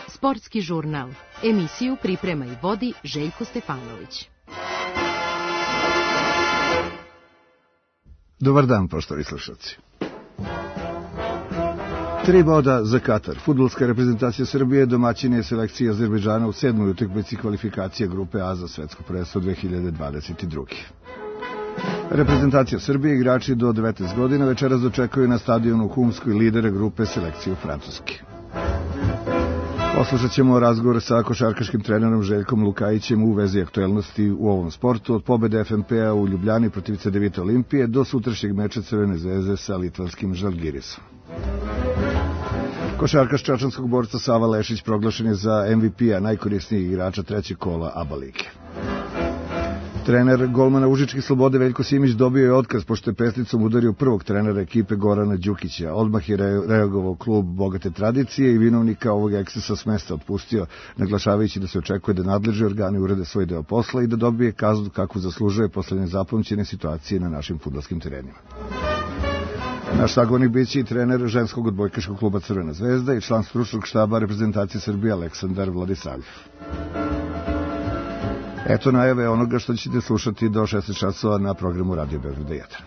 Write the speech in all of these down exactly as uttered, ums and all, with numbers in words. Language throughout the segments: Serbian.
Sportski žurnal. Emisiju priprema i vodi Željko Stefanović. Dobar dan, poštovani slušalci. Tri boda za Katar. Fudbalska reprezentacija Srbije domaćin je selekcija Azerbejdžana u sedmoj utakmici kvalifikacije grupe A za svetsko prvenstvo dve hiljade dvadeset druge. Reprezentacija Srbije, igrači do devetnaest godina, večeras dočekaju na stadionu u Humskoj lidere grupe selekciju Francuske. Poslušat ćemo razgovor sa košarkaškim trenerom Željkom Lukajićem u vezi aktuelnosti u ovom sportu, od pobede F N P-a u Ljubljani protiv C D Vita Olimpije do sutrašnjeg meča Crvene zvezde sa litvanskim Žalgirisom. Košarkaš čačanskog borca Sava Lešić proglašen je za M V P-a, najkorisnijeg igrača trećeg kola A B A lige. Trener golmana Užičke Slobode Veljko Simić dobio je otkaz pošto je pesnicom udario prvog trenera ekipe Gorana Đukića. Odmah je reagovao klub bogate tradicije i vinovnika ovog ekscesa s mesta otpustio, naglašavajući da se očekuje da nadležni organi urede svoj deo posla i da dobije kaznu kakvu zaslužuje posle nezapamćene situacije na našim fudbalskim terenima. Naš sagovornik biće i trener ženskog odbojkaškog kluba Crvena zvezda i član stručnog štaba reprezentacije Srbije Aleksandar Vladisavljev. Eto najave onoga što ćete slušati do šesnaest časova na programu Radio Beograd jedan.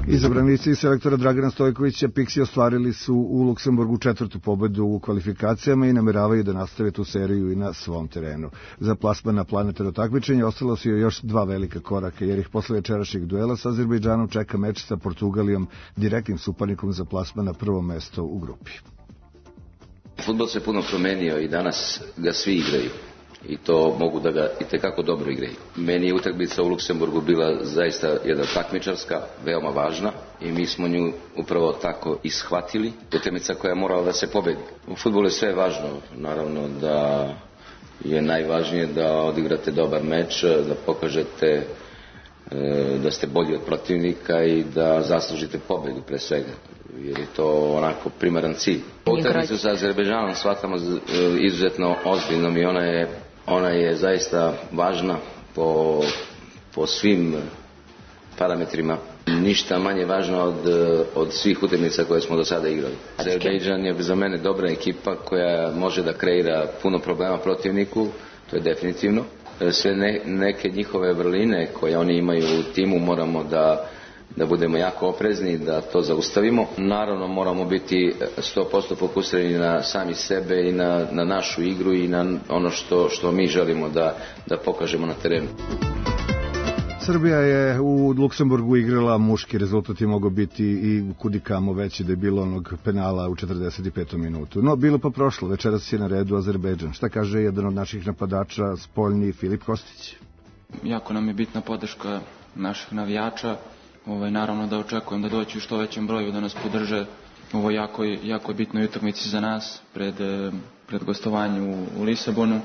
Izabranici selektora Dragana Stojkovića Pixi ostvarili su u Luksemburgu četvrtu pobedu u kvalifikacijama i nameravaju da nastave tu seriju i na svom terenu. Za plasman na planetarno takmičenje ostalo su još dva velika koraka, jer ih posle večerašnjeg duela sa Azerbejdžanom čeka meč sa Portugalijom, direktnim suparnikom za plasman na prvo mesto u grupi. Fudbal se puno promenio i danas ga svi igraju i to mogu da ga itekako dobro igraju. Meni je utakmica u Luksemburgu bila zaista jedna takmičarska, veoma važna i mi smo nju upravo tako ishvatili. Utakmica koja je morala da se pobedi. U fudbalu je sve važno, naravno da je najvažnije da odigrate dobar meč, da pokažete da ste bolji od protivnika i da zaslužite pobedu pre svega, jer je to onako primaran cilj. Utakmicu sa Azerbejdžanom shvatamo izuzetno ozbiljnom i ona je, ona je zaista važna po, po svim parametrima. Ništa manje važno od, od svih utakmica koje smo do sada igrali. Azerbejdžan je za mene dobra ekipa koja može da kreira puno problema protivniku, to je definitivno. Sve ne, neke njihove vrline koje oni imaju u timu moramo da, da budemo jako oprezni, da to zaustavimo. Naravno moramo biti sto posto fokusirani na sami sebe i na, na našu igru i na ono što, što mi želimo da, da pokažemo na terenu. Srbija je u Luksemburgu igrala muški, rezultat je mogao biti i kudikamo veći da je bilo onog penala u četrdeset petom minutu. No, bilo pa prošlo, večeras je na redu Azerbejdžan. Šta kaže jedan od naših napadača, spoljni Filip Kostić? Jako nam je bitna podrška naših navijača. Ovaj, naravno da očekujem da doći u što većem broju da nas podrže. Ovo je jako, jako bitnoj utakmici za nas pred, pred gostovanje u, u Lisabonu.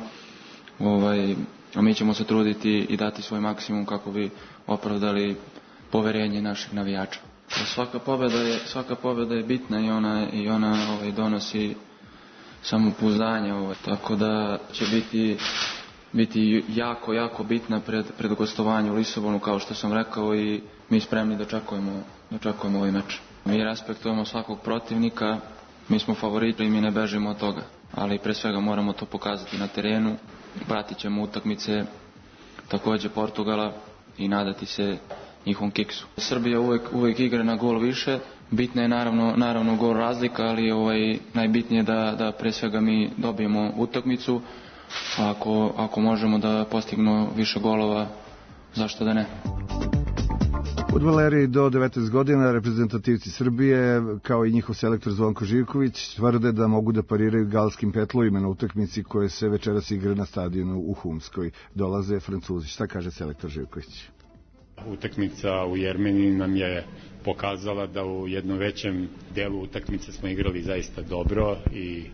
Ovaj, a mi ćemo se truditi i dati svoj maksimum kako bi opravdali poverenje naših navijača. Svaka pobjeda je, svaka pobjeda je bitna i ona, i ona ovaj, donosi samopouzdanje, ovaj, tako da će biti, biti jako, jako bitna pred, pred gostovanje u Lisabonu, kao što sam rekao, i mi spremni da očekujemo, da očekujemo ovaj meč. Mi respektujemo svakog protivnika, mi smo favoriti i mi ne bežimo od toga, ali pre svega moramo to pokazati na terenu. Pratit ćemo utakmice takođe Portugala i nadati se njihovom kiksu. Srbija uvek, uvek igra na gol više, bitna je naravno, naravno gol razlika, ali ovaj, najbitnije je da, da pre svega mi dobijemo utakmicu, a ako, ako možemo da postignemo više golova, zašto da ne? Fudbaleri do devetnaest godina, reprezentativci Srbije, kao i njihov selektor Zvonko Živković, tvrde da mogu da pariraju galskim petlovima na utakmici koje se večeras igra na stadionu u Humskoj. Dolaze Francuzi. Šta kaže selektor Živković? Utakmica u Jermeniji nam je pokazala da u jednom većem delu utakmice smo igrali zaista dobro i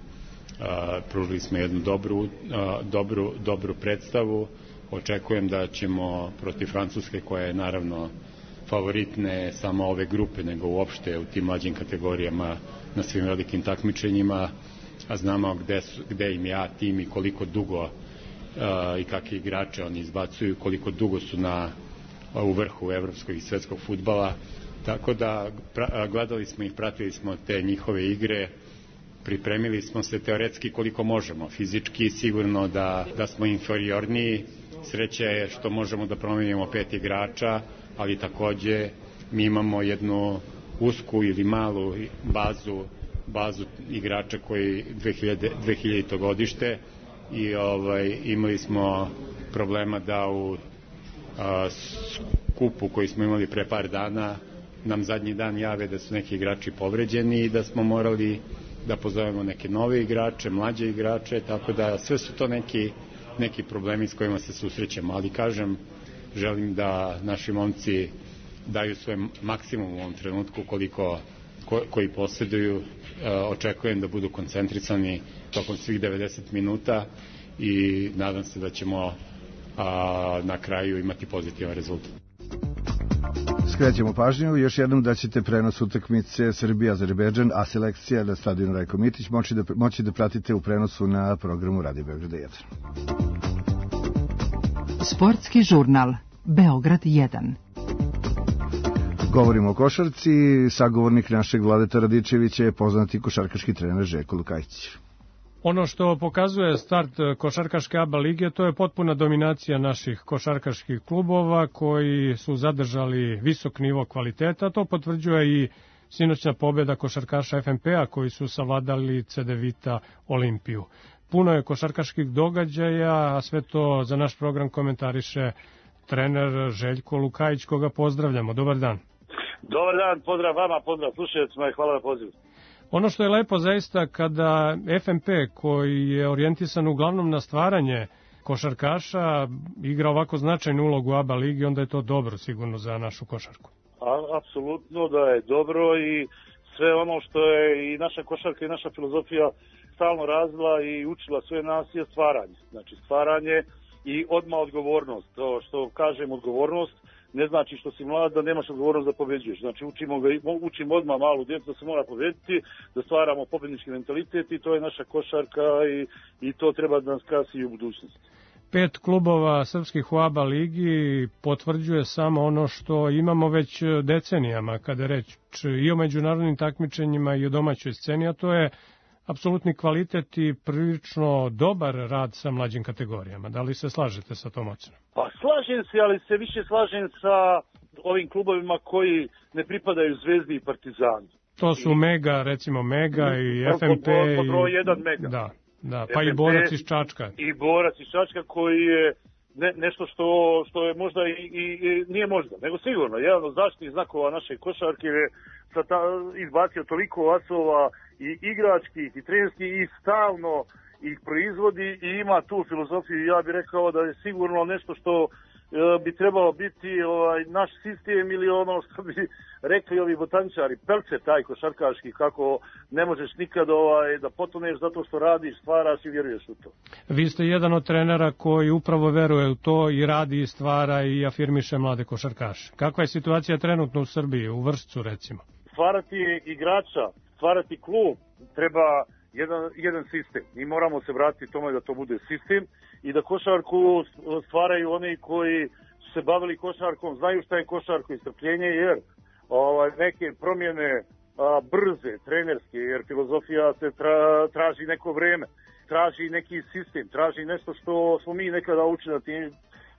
a, pružili smo jednu dobru, a, dobru, dobru predstavu. Očekujem da ćemo protiv Francuske, koja je naravno favorit ne samo ove grupe, nego uopšte u tim mlađim kategorijama na svim velikim takmičenjima, a znamo gde, su, gde im ja tim i koliko dugo uh, i kakve igrače oni izbacuju, koliko dugo su na u vrhu evropskog i svetskog fudbala, tako da pra, gledali smo ih, pratili smo te njihove igre, pripremili smo se teoretski koliko možemo, fizički sigurno da, da smo inferiorniji, sreća je što možemo da promenimo pet igrača, ali takođe mi imamo jednu usku ili malu bazu bazu igrača koji dve hiljadito godište i ovaj, imali smo problema da u a, skupu koji smo imali pre par dana nam zadnji dan jave da su neki igrači povređeni i da smo morali da pozovemo neke nove igrače, mlađe igrače, tako da sve su to neki, neki problemi s kojima se susrećemo, ali kažem, želim da naši momci daju svoj maksimum u ovom trenutku koliko ko, koji posjeduju, e, očekujem da budu koncentrisani tokom svih devedeset minuta i nadam se da ćemo a, na kraju imati pozitivan rezultat. Skrećemo pažnju još jednom da ćete prenos utakmice Srbija-Azerbejdžan, a selekcija na stadionu Rajko Mitić moći da, moći da pratite u prenosu na programu Radio Beograda jedan. Sportski žurnal Beograd jedan. Govorimo o košarci, sagovornik našeg Vladeta Radičevića je poznati košarkaški trener Željko Lukajić. Ono što pokazuje start košarkaške A B A lige, to je potpuna dominacija naših košarkaških klubova koji su zadržali visok nivo kvaliteta. To potvrđuje i sinoćna pobjeda košarkaša F M P-a koji su savladali C D Vita Olimpiju. Puno je košarkaških događaja, a sve to za naš program komentariše trener Željko Lukajić, koga pozdravljamo. Dobar dan. Dobar dan, pozdrav vama, pozdrav slušaocima i hvala na pozivu. Ono što je lepo zaista kada F M P, koji je orijentisan uglavnom na stvaranje košarkaša, igra ovako značajnu ulogu u A B A ligi, onda je to dobro sigurno za našu košarku. A, apsolutno da je dobro i sve ono što je i naša košarka i naša filozofija stalno razvila i učila sve nas je stvaranje. Znači stvaranje i odmah odgovornost. To što kažem odgovornost ne znači što si mlad da nemaš odgovornost da pobeđuješ. Znači učimo, ga, učimo odmah malu djecu da se mora pobediti, da stvaramo pobednički mentalitet i to je naša košarka i, i to treba da nas krasi i u budućnosti. Pet klubova srpskih u A B A ligi potvrđuje samo ono što imamo već decenijama kada je reč i o međunarodnim takmičenjima i o domaćoj sceni, a to je apsolutni kvalitet i prilično dobar rad sa mlađim kategorijama. Da li se slažete sa tom ocenom? Pa slažem se, ali se više slažem sa ovim klubovima koji ne pripadaju Zvezdi i Partizanu. To su I, Mega, recimo Mega i F M P. Po, po, po broj jedan Mega. Da, da, pa F M P, i Borac iz Čačka. I Borac iz Čačka koji je ne, nešto što, što je možda i, i, i nije možda, nego sigurno. Jedan od zaštitnih znakova naše košarke je ta, izbacio toliko asova i igračkih i trenerskih i stalno ih proizvodi i ima tu filozofiju. Ja bih rekao da je sigurno nešto što e, bi trebalo biti ovaj, naš sistem ili ono što bi rekli ovi botaničari, pelce taj košarkaški, kako ne možeš nikad ovaj, da potoneš zato što radiš, stvaraš i vjeruješ u to. Vi ste jedan od trenera koji upravo veruje u to i radi i stvara i afirmiše mlade košarkaše. Kakva je situacija trenutno u Srbiji, u Vršcu recimo? Stvarati igrača, stvarati klub, treba jedan, jedan sistem. Mi moramo se vratiti tome da to bude sistem i da košarku stvaraju oni koji su se bavili košarkom, znaju šta je košarko i strpljenje, jer ovaj, neke promjene a, brze, trenerske, jer filozofija se tra, traži neko vreme, traži neki sistem, traži nešto što smo mi nekada učili na tim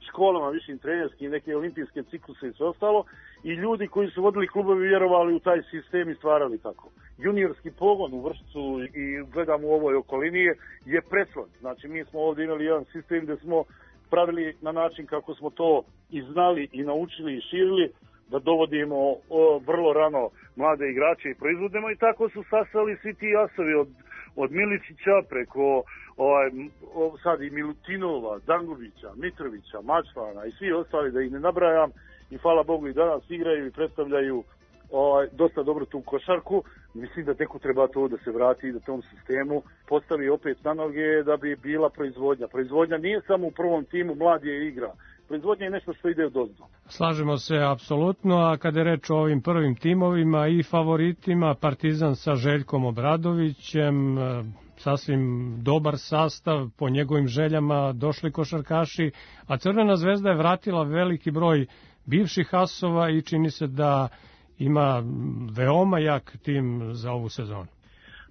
školama, višim trenerskim, neke olimpijske cikluse i sve ostalo, i ljudi koji su vodili klubovi vjerovali u taj sistem i stvarali tako. Juniorski pogon u Vršcu i gledam u ovoj okolini je preslon. Znači mi smo ovdje imali jedan sistem gdje smo pravili na način kako smo to i znali i naučili i širili, da dovodimo o, vrlo rano mlade igrače i proizvodimo i tako su sasali svi ti asovi od, od Miličića preko ovaj, o, sad i Milutinova, Dangubića, Mitrovića, Mačvana i svi ostali da ih ne nabrajam i hvala Bogu i danas igraju i predstavljaju ovaj, dosta dobro tu košarku. Mislim da teku treba to da se vrati i da tom sistemu postavi opet na noge da bi bila proizvodnja. Proizvodnja nije samo u prvom timu, mladi je igra. Proizvodnja je nešto što ide od ozdo. Slažemo se apsolutno, a kada je reč o ovim prvim timovima i favoritima, Partizan sa Željkom Obradovićem, sasvim dobar sastav, po njegovim željama došli košarkaši, a Crvena zvezda je vratila veliki broj bivših asova i čini se da ima veoma jak tim za ovu sezonu.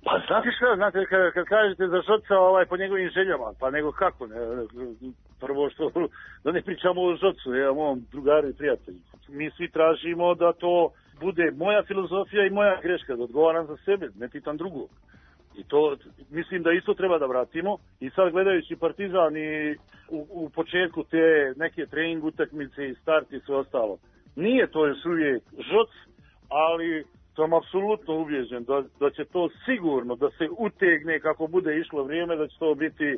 Pa znate šta, znate, kad, kad kažete za Žoca ovaj, po njegovim željama, pa nego kako, ne, prvo što, da ne pričamo o Žocu, ja mom drugaru i prijatelju. Mi svi tražimo da to bude moja filozofija i moja greška, da odgovaram za sebe, ne pitam drugog. I to, mislim da isto treba da vratimo. I sad gledajući Partizan i u, u početku te neke trening utakmice i start i sve ostalo, nije to još uvijek Žoc, ali sam apsolutno ubjeđen da, da će to sigurno da se utegne kako bude išlo vrijeme, da će to biti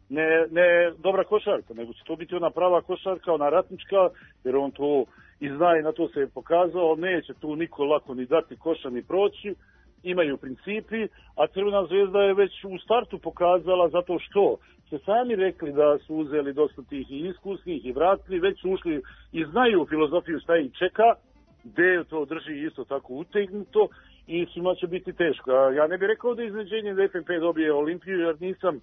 ne, ne dobra košarka, nego će to biti ona prava košarka, ona ratnička, jer on to i zna i na to se je pokazao, neće tu niko lako ni dati koša ni proći, imaju principi, a Crvena zvezda je već u startu pokazala zato što se sami rekli da su uzeli dosta tih i iskusnih i vratili, već su ušli i znaju filozofiju šta ih čeka, gde to drži isto tako utegnuto i svima će biti teško. Ja ne bih rekao da je iznenađenje da F N P dobije Olimpiju, jer nisam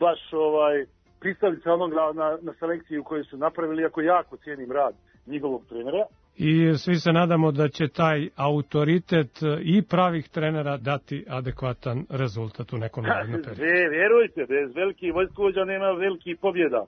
baš ovaj, pristalica onog na, na, na selekciju koju su napravili, iako jako cijenim rad njihovog trenera. I svi se nadamo da će taj autoritet i pravih trenera dati adekvatan rezultat u nekom narednom periodu. Vjerujte, bez velikih vojskovođa nema velikih pobjeda.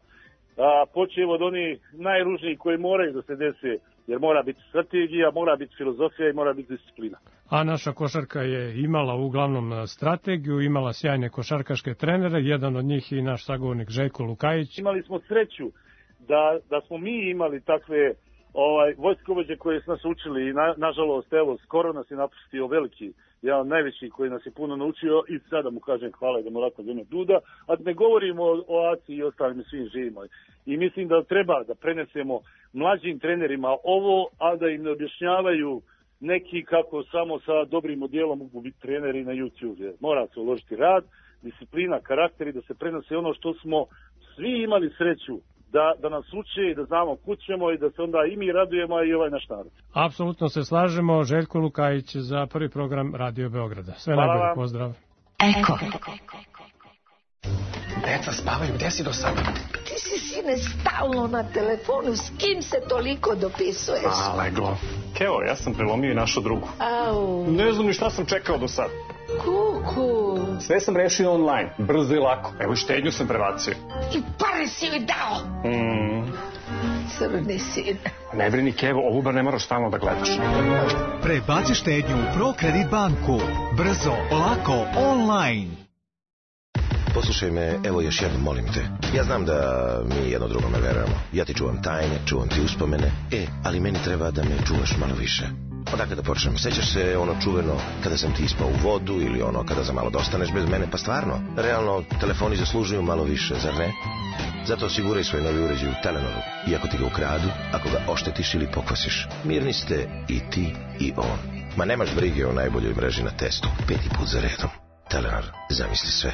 A, počevo od onih najružnijih koji moraju da se dese, jer mora biti strategija, mora biti filozofija i mora biti disciplina. A naša košarka je imala uglavnom strategiju, imala sjajne košarkaške trenere, jedan od njih i naš sagovornik Željko Lukajić. Imali smo sreću da, da smo mi imali takve ovaj, vojskovođe koje su nas učili i na, nažalost, evo, skoro nas je napustio veliki, jedan od najvećih koji nas je puno naučio i sada mu kažem hvala da mu lako zeme duda, a ne govorimo o, o Aci i ostalim svim živimo. I mislim da treba da prenesemo mlađim trenerima ovo, a da im ne objašnjavaju neki kako samo sa dobrim odjelom mogu biti treneri na YouTube. Mora se uložiti rad, disciplina, karakter i da se prenose ono što smo svi imali sreću da, da nas uče i da znamo kud ćemo i da se onda i mi radujemo i ovaj naš narod. Apsolutno se slažemo. Željko Lukajić za prvi program Radio Beograda. Sve Hvala najbolje, vam. pozdrav. Eko. Deca spavaju, gde si do sada? Ti si, sine, stalno na telefonu. S kim se toliko dopisuješ? A, leglo. Keo, ja sam prelomio i našu drugu. Au. Ne znam ni šta sam čekao do sada. Kuku. Sve sam rešio online, brzo i lako. Evo, štednju sam prebacio. I pare si joj dao. Mm. Crni sine. Ne brini, Kevo, ovu bar ne moraš stalno da gledaš. Prebaci štednju u ProKredit banku. Brzo, lako, online. Poslušaj me, evo još jednom, molim te. Ja znam da mi jedno drugome verujemo. Ja ti čuvam tajne, čuvam ti uspomene. E, ali meni treba da me čuvaš malo više. Odakle da počnem? Sećaš se ono čuveno kada sam ti ispao u vodu ili ono kada za malo dostaneš bez mene? Pa stvarno, realno, telefoni zaslužuju malo više, zar ne? Zato osiguraj svoj novi uređaj u Telenoru. I ako ti ga ukradu, ako ga oštetiš ili pokvasiš, mirni ste i ti i on. Ma nemaš brige o najboljoj mreži na testu. Peti put za redom. Telenor, zamisli sve.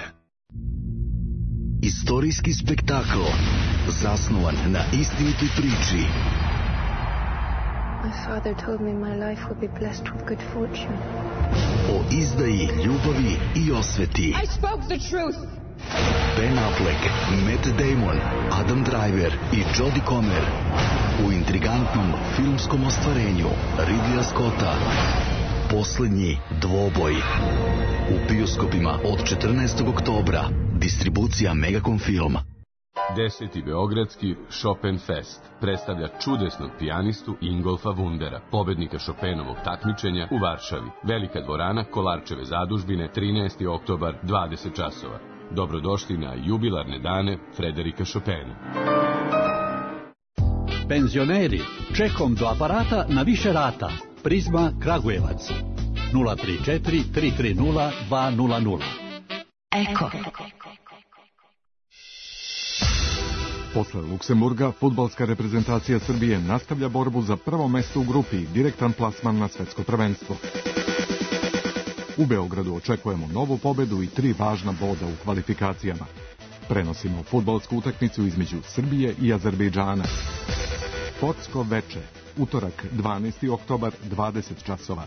Istorijski spektakl zasnovan na istinitoj priči. My father told me my life would be blessed with good fortune. O izdaji, ljubavi i osveti. I spoke the truth. Ben Affleck, Matt Damon, Adam Driver i Jodie Comer u intrigantnom filmskom ostvarenju Ridleya Scotta Poslednji dvoboj. U bioskopima od četrnaestog oktobra. Distribucija Megacom Film. Deseti Beogradski Chopin Fest predstavlja čudesnog pijanistu Ingolfa Wundera, pobednika Chopinovog takmičenja u Varšavi. Velika dvorana Kolarčeve zadužbine, trinaesti oktobar, dvadeset časova. Dobrodošli na jubilarne dane Frederika Chopina. Penzioneri, čekom do aparata na više rata. Prizma Kragujevac. nula tri četiri tri tri nula dva nula nula. Eko. Posle Luksemburga, fudbalska reprezentacija Srbije nastavlja borbu za prvo mesto u grupi i direktan plasman na svetsko prvenstvo. U Beogradu očekujemo novu pobedu i tri važna boda u kvalifikacijama. Prenosimo fudbalsku utakmicu između Srbije i Azerbejdžana. Sportsko veče, utorak dvanaesti oktobar, dvadeset časova.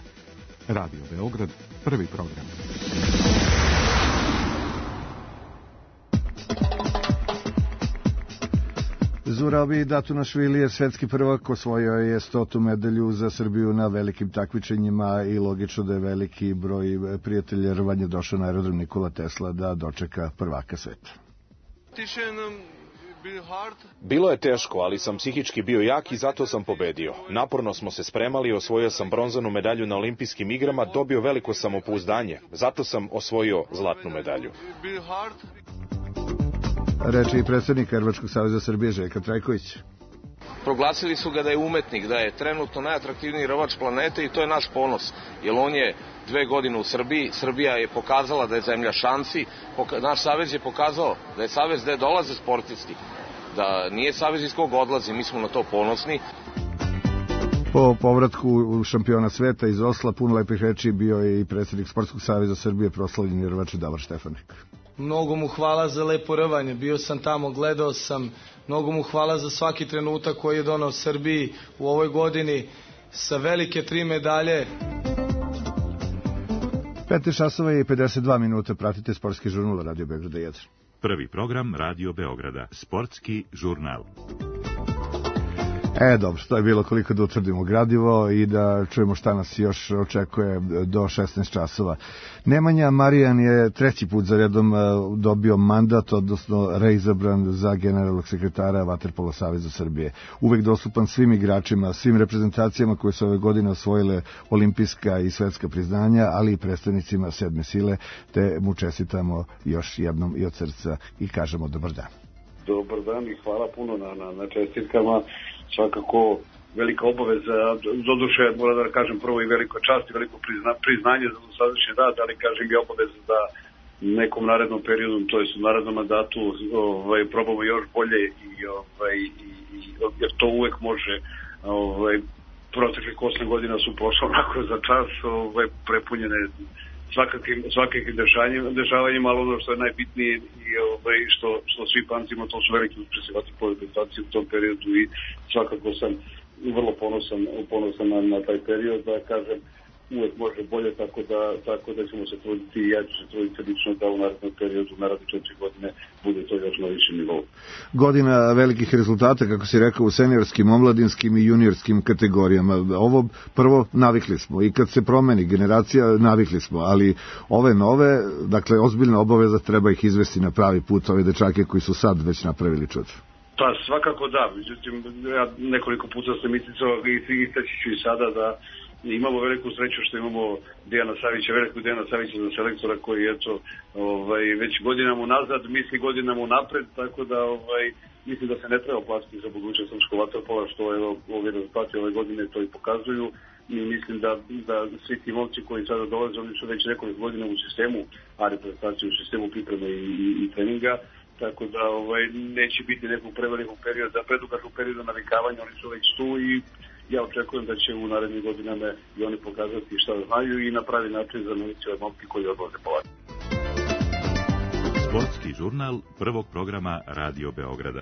Radio Beograd, prvi program. Zurabi Datunašvili je svetski prvak, osvojio je stotu medalju za Srbiju na velikim takmičenjima i logično da je veliki broj prijatelja rvanja došao na aerodrom Nikola Tesla da dočeka prvaka sveta. Bilo je teško, ali sam psihički bio jak i zato sam pobedio. Naporno smo se spremali, osvojio sam bronzanu medalju na olimpijskim igrama, dobio veliko samopouzdanje. Zato sam osvojio zlatnu medalju. Reči i predsjednik Rvačkog saveza Srbije Željka Trajković. Proglasili su ga da je umetnik, da je trenutno najatraktivniji rvač planete i to je naš ponos, jer on je dve godine u Srbiji, Srbija je pokazala da je zemlja šansi, naš savez je pokazao da je savez gde dolaze sportisti, da nije savez iz kog odlazi, mi smo na to ponosni. Po povratku šampiona sveta iz Osla, puno lepih reči bio je i predsjednik Sportskog saveza Srbije, proslavljeni rvač Davor Štefanik. Mnogo mu hvala za lepo rvanje, bio sam tamo, gledao sam, mnogo mu hvala za svaki trenutak koji je donao Srbiji u ovoj godini sa velike tri medalje. petnaest časova i pedeset dva minuta, pratite sportski žurnal Radio Beograda jedan. Prvi program Radio Beograda, sportski žurnal. E, dobro, to je bilo koliko da utvrdimo gradivo i da čujemo šta nas još očekuje do šesnaest časova. Nemanja Marijan je treći put za redom dobio mandat, odnosno reizabran za generalnog sekretara Vaterpolo saveza Srbije. Uvek dostupan svim igračima, svim reprezentacijama koje su ove godine osvojile olimpijska i svetska priznanja, ali i predstavnicima sedme sile, te mu čestitamo još jednom i od srca i kažemo dobar dan. Dobar dan i hvala puno na, na, na čestitkama. Svakako velika obaveza, doduše moram da kažem prvo i veliko čast i veliko prizna, priznanje za dosadašnji rad, ali kažem i obaveza da nekom narednom periodu, to jest u narednom mandatu, ovaj, probamo još bolje i, ovaj, i, i jer to uvek može, ovaj, proteklih osam godina su prošle onako za čas, ovaj, prepunjene svakakvim, svakakvim dešavanjima, ali ono što je najbitnije i ovaj, što, što svi pamtimo, to su veliki uspjesi vaterpolo reprezentacije u tom periodu i svakako sam vrlo ponosan, ponosan na, na taj period, da kažem, uvek može bolje, tako da, tako da ćemo se truditi i ja ću se truditi lično da u narednom periodu, naredne četiri godine, bude to još na višem nivou. Godina velikih rezultata, kako si rekao, u seniorskim, omladinskim i juniorskim kategorijama. Ovo prvo navikli smo i kad se promeni generacija navikli smo, ali ove nove, dakle, ozbiljna obaveza, treba ih izvesti na pravi put, ove dečake koji su sad već napravili čudo. Pa svakako da, međutim, ja nekoliko puta sam isticao i istaći ću i sada da imamo veliku sreću što imamo Dejana Savića, velikog Dejana Savića za selektora koji eto, ovaj, već godinama unazad, misli godinama unapred, tako da ovaj, mislim da se ne treba platiti za budućnost srpskog vaterpola, što evo, ovi rezultati ove godine to i pokazuju i mislim da, da svi ti momci koji sada dolaze, oni su već nekoliko godina u sistemu, a reprezentacije u sistemu pripreme i, i, i treninga, tako da ovaj, neće biti nekog prevelikog perioda, predugačnog perioda navikavanja, oni su već tu i ja očekujem da će u narednim godinama i oni pokazati šta znaju i na pravi način zameniti ove momke koji odlaze polako. Sportski žurnal prvog programa Radio Beograda.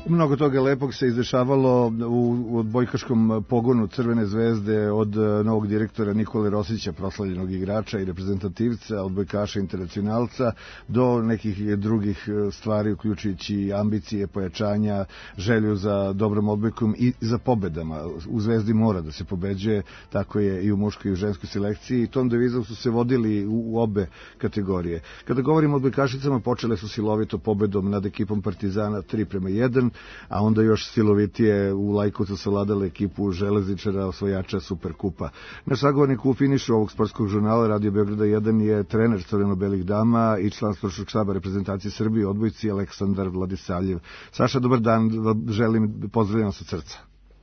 Mnogo toga lepog se izdešavalo u odbojkaškom pogonu Crvene zvezde od novog direktora Nikole Rosića, proslavljenog igrača i reprezentativca, odbojkaša internacionalca, do nekih drugih stvari, uključujući ambicije, pojačanja, želju za dobrom odbojkom i za pobedama. U Zvezdi mora da se pobeđuje, tako je i u muškoj i u ženskoj selekciji i tom devizom su se vodili u obe kategorije. Kada govorimo o odbojkašicama, počele su silovito pobedom nad ekipom Partizana tri prema jedan, a onda još silovitije u Lajkovcu savladale ekipu železničara, osvojača Superkupa. Naš sagovornik u finišu ovog sportskog žurnala Radio Beograda jedan je trener crveno-belih dama i član stručnog štaba reprezentacije Srbije, odbojci Aleksandar Vladisavljev. Saša, dobar dan, želim, pozdravljam sa srca.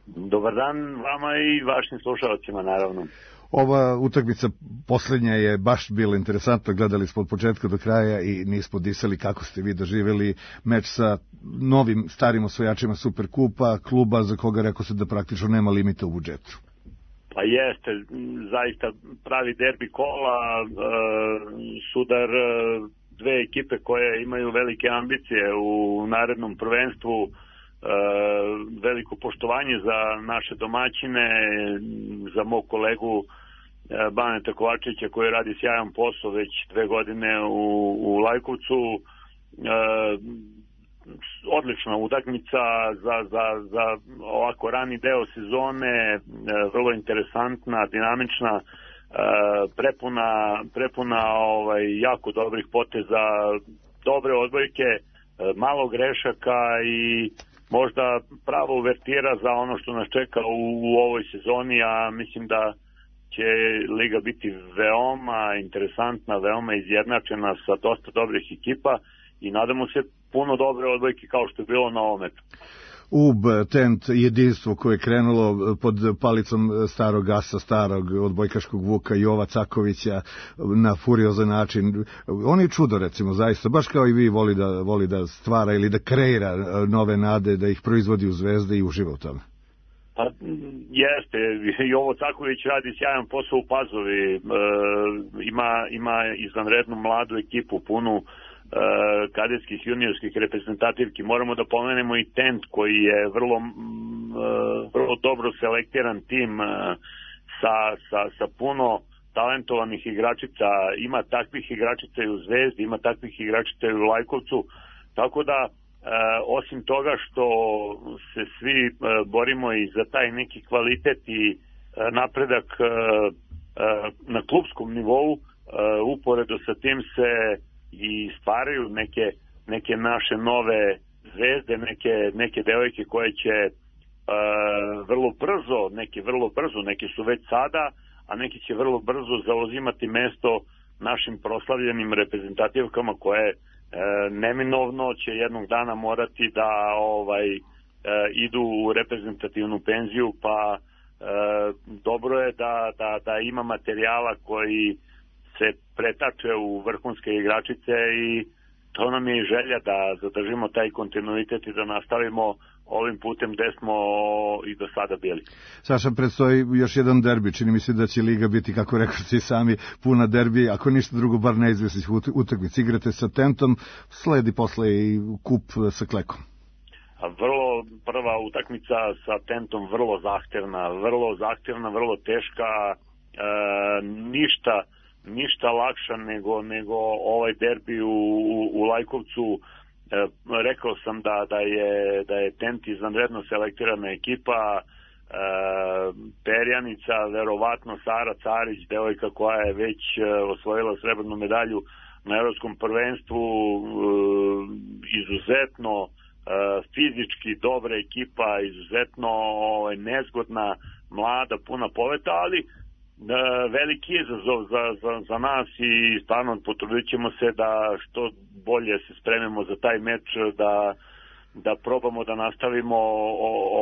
Dobar dan vama i vašim slušalcima, naravno. Ova utakmica poslednja je baš bila interesantna, gledali smo od početka do kraja i nismo disali kako ste vi doživjeli meč sa novim starim osvojačima Superkupa, kluba za koga rekao se da praktično nema limita u budžetu. Pa jeste, zaista pravi derbi kola, sudar dve ekipe koje imaju velike ambicije u narednom prvenstvu, veliko poštovanje za naše domaćine, za mog kolegu Baneta Kovačevića koji radi sjajan posao već dve godine u, u Lajkovcu. odlična utakmica za, za, za ovako rani deo sezone, vrlo interesantna, dinamična, prepuna, prepuna ovaj, jako dobrih poteza, dobre odbojke, malo grešaka i možda prava uvertira za ono što nas čeka u, u ovoj sezoni, a mislim da će liga biti veoma interesantna, veoma izjednačena sa dosta dobrih ekipa i nadamo se puno dobre odbojke kao što je bilo na ovom metu. U B, Tent, jedinstvo koje je krenulo pod palicom starog asa, starog odbojkaškog Vuka Jova Cakovića na furiozan način. On je čudo, recimo, zaista, baš kao i vi voli da, voli da stvara ili da kreira nove nade, da ih proizvodi u Zvezde i uživa u tome. Pa jeste, Jovo Caković radi sjajan posao u Pazovi, e, ima, ima izvanrednu mladu ekipu, punu kadetskih juniorskih reprezentativki. Moramo da pomenemo i Tent koji je vrlo, vrlo dobro selektiran tim sa, sa, sa puno talentovanih igračica. Ima takvih igračica i u Zvezdi, ima takvih igračica i u Lajkovcu. Tako da, osim toga što se svi borimo i za taj neki kvalitet i napredak na klupskom nivou, uporedo sa tim se i stvaraju neke, neke naše nove zvezde, neke, neke devojke koje će uh, vrlo brzo, neke vrlo brzo, neke su već sada, a neki će vrlo brzo zauzimati mesto našim proslavljenim reprezentativkama koje uh, neminovno će jednog dana morati da ovaj uh, idu u reprezentativnu penziju, pa uh, dobro je da, da, da ima materijala koji se pretače u vrhunske igračice i to nam je i želja da zadržimo taj kontinuitet i da nastavimo ovim putem gde smo i do sada bili. Saša, predstoji još jedan derbi. Čini mi se da će liga biti, kako rekao si sami, puna derbi, ako ništa drugo, bar neizvesnih utakmica. Igrate sa Tentom, sledi posle i kup sa Klekom. Vrlo prva utakmica sa Tentom, vrlo zahtevna, vrlo zahtevna, vrlo teška, e, ništa ništa lakša nego, nego ovaj derbi u, u, u Lajkovcu. E, rekao sam da, da, je, da je Tent izvanredno selektirana ekipa, e, perjanica, verovatno Sara Carić, devojka koja je već osvojila srebrnu medalju na evropskom prvenstvu, e, izuzetno e, fizički dobra ekipa, izuzetno e, nezgodna, mlada, puna poveta, ali veliki izazov za, za, za nas i stvarno potrudit ćemo se da što bolje se spremimo za taj meč, da, da probamo da nastavimo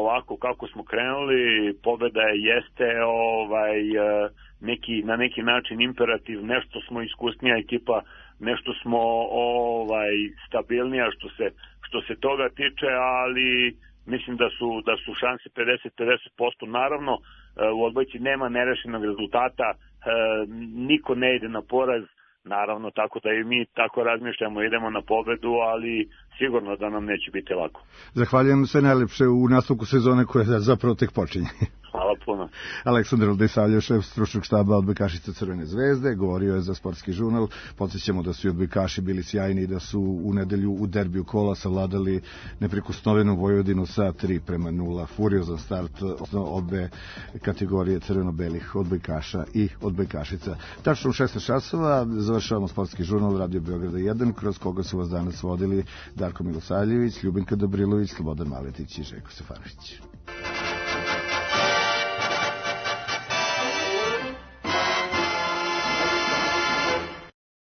ovako kako smo krenuli. Pobeda jeste ovaj, neki, na neki način imperativ, nešto smo iskusnija ekipa, nešto smo ovaj, stabilnija što se, što se toga tiče, ali mislim da su, da su šanse pedeset pedeset posto. Naravno, u odbojci nema nerešenog rezultata, niko ne ide na poraz, naravno, tako da i mi tako razmišljamo, idemo na pobedu, ali sigurno da nam neće biti lako. Zahvaljujem sve najlepše u nastavku sezone koja zapravo tek počinje. Hvala puno. Aleksandar Aldisavljev, šef stručnog štaba odbojkašica Crvene zvezde, govorio je za Sportski žurnal. Podsjećamo da su i odbojkaši bili sjajni i da su u nedelju u derbiju kola savladali neprikosnovenu Vojvodinu sa tri prema nula. Furiozan start obe kategorije crveno-belih odbojkaša i odbojkašica. Tačno u šesnaest časova završavamo Sportski žurnal Radio Beograda jedan, kroz koga su vas danas vodili Darko Milosavljević, Ljubinka Dobrilović, Slobodan Maletić i Željko Stefanović.